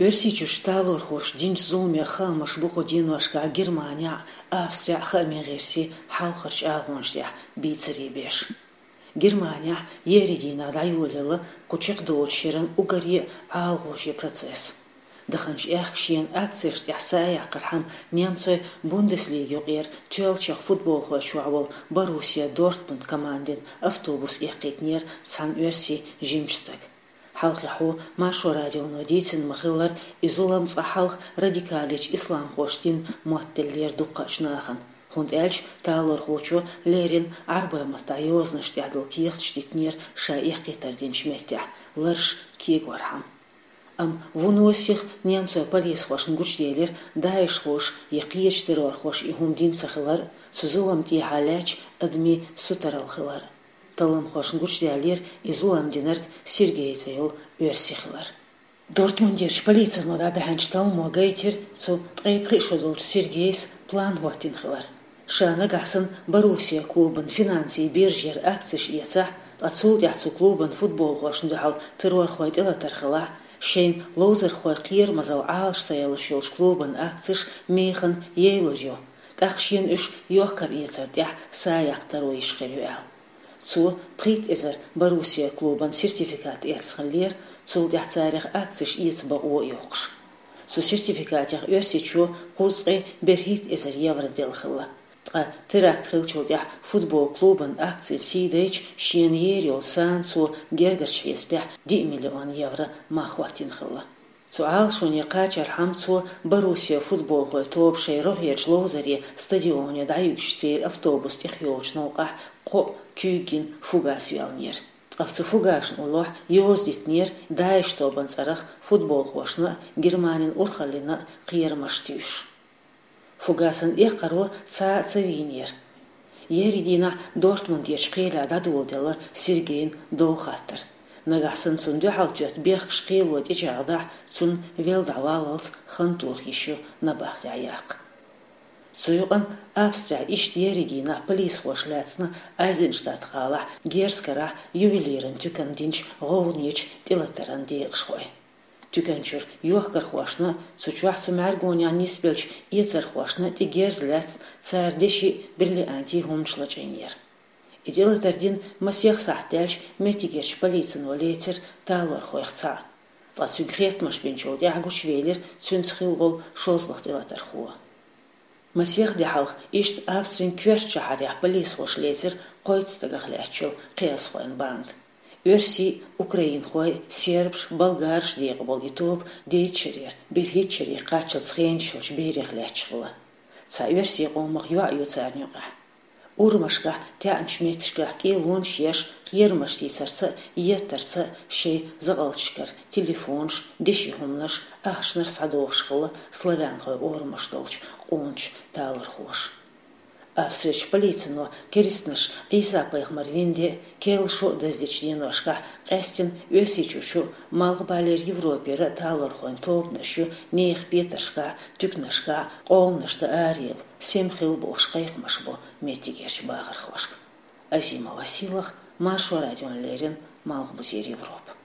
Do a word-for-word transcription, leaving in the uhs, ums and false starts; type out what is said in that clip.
Оьрсийчуьрчу талорхоша динчу зуламех хаамаш бу кху деношкахь Германехь а, Австрехь а хааман гӀирсийн хьалхарчу агӀонаш тӀехь бийцаре беш. Германехь еарин дийнахь дӀайолаелла кху чекхдолучу шеран уггаре а гӀалагӀожа процесс. Даханчу аьхка шена акцешна тӀехь са яккхархьама немцойн Бундеслига юкъара тоьллачех футболхой чохь волу Боруссия Дортмунд командин автобус эккхийтинера цхьана оьрсийн жимачу стага. Хьалхе хьо Маршо радионо дийцина ма-хиллара, и зулам цкъа хьалха радикалечу исламхоша дина моттаделлера дуккхачу нахана, хӀунда аьлча талорхочо леррина Ӏарбойн маттахь йозанаш тӀехь долу кехаташ дитинера ша эккхийтар динчу меттехь, лараш кегорхьама. Амма вуно сиха немцойн полисхошна гучуделира, даишхоша я кхечу террорхоша и хӀума дина ца хилар а, цу зуламна тӀехьа лаьтташ адамийн сутаралла хилар а. Талламхошна гучудаьллера и зулам динарг Сергей цӀе йолу оьрси хилар. Дортмундерчу полицино дӀабаьхьначу талламо гайтира цу ткъе пхи шо долчу Сергейс план хӀоттийна хилар. Ша нагахь санна Боруссия клубан финансийн биржера акцеш эцахь, ткъа цул тӀаьхьа цу клубан футболхошна дуьхьал террорхойн тӀелатар хилахь, шайна ловзархойн кхерамазалла Ӏалаш ца ялуш йолчу клубан акцеш механа яйлур ю, тӀаккха шена уьш йохкар-эцар тӀехь са яккха таро йиш хир ю аьлла. Цо пхийтта эзар Боруссия клубан сертификат эцна хиллера, цул тӀаьхьа царах акцеш эца бакъо а йоккхуш. Цу сертификатех Оьрсийчо кхузткъе берхӀитта эзар евро делла хилла. Ткъа теракт хиллачул тӀаьхьа футбол клубан акцийн сий дайча, шена ер йолу сана цо гергарчу хьесапехь диъ миллион евро мах хӀоттийна хилла. Цу Ӏалашоне кхачархьама цо Боруссия футболхойн тоба шайн рогӀерчу ловзаре стадионе дӀаюьгуш церан автобус тӀехйолучу новкъахь кхоъ куьйга гина фугас йоьллинера. Ткъа цу фугасашна уллохь йоза дитинера ДАИШ тобан цӀарах футболхошна а, Германин урхаллина а кхерамаш туьйсуш. Фугасан эккхаро цхьа а ца вийнера. Еарин дийнахь Дортмундерчу кхелехь дӀадоладелла Сергейн дов хаттар. Нагахь санна цунна дуьхьал тоьтту бехкаш кхело тӀечӀагӀдахь, цунна велла дӀаваллалц хан тоха йиш ю набахтехь яккха. Цу юкъана Австрехь иштта еарин дийнахь полисхоша лаьцна Айзенштадт-гӀалахь Герз-карахь ювелиран туьканна динчу гӀовгӀанечу тӀелатаран декъашхой. Туькан чуьра йохкархошна а, цу чохь цу мӀаьргонехь нисбеллачу эцархошна а тӀе герз лаьцна, цара деши а, бриллиантийн хӀуманаш лачкъийнера. И тӀелатар дина масех сахьт даьлча, меттигерчу полицино лецира талорхойх цхьаъ. Ткъа цуьнга хеттамаш бинчул тӀаьхьа гучувелира цуьнца хилла волу шолгӀа тӀелатархо. Масех де хьалха иштта Австрин коьртачу шахьарехь полисхоша лецира кхойтта стагах лаьтташ йолу кхиазхойн банда. Оьрсий а, украинхой а, сербаш а, болгараш а декъахь болу и тоба дейтта шарера берхӀитта шаре кхаччалц хенаш йолчу берех лаьтташ хилла. Цхьа оьрсийн къомах йоӀ ю царна юкъахь. Урамашкахь, таьӀначу меттигашкахь кӀелонаш еш, кхерамаш тийсарца а, еттарца а шайн закъалташкара телефонаш, деши хӀуманаш, ахчанаш схьадохуш хилла славянхойн орамаш долчу къоначу талорхоша. Австрерчу полицино керстанаш Ӏийса-пайхамар вина де а, керла шо а даздечу деношкахь къаьсттина Оьрсийчуьрчу а, Малхбалера Европера а талорхойн тобанаш ю нехан петаршкахь а, туьканашкахь а къоланаш дан араяла, сема хила бохуш кхайкхамаш бо меттигерчу бахархошка. Азима Василах, Маршо радиона леррина, Малхбузера Европа.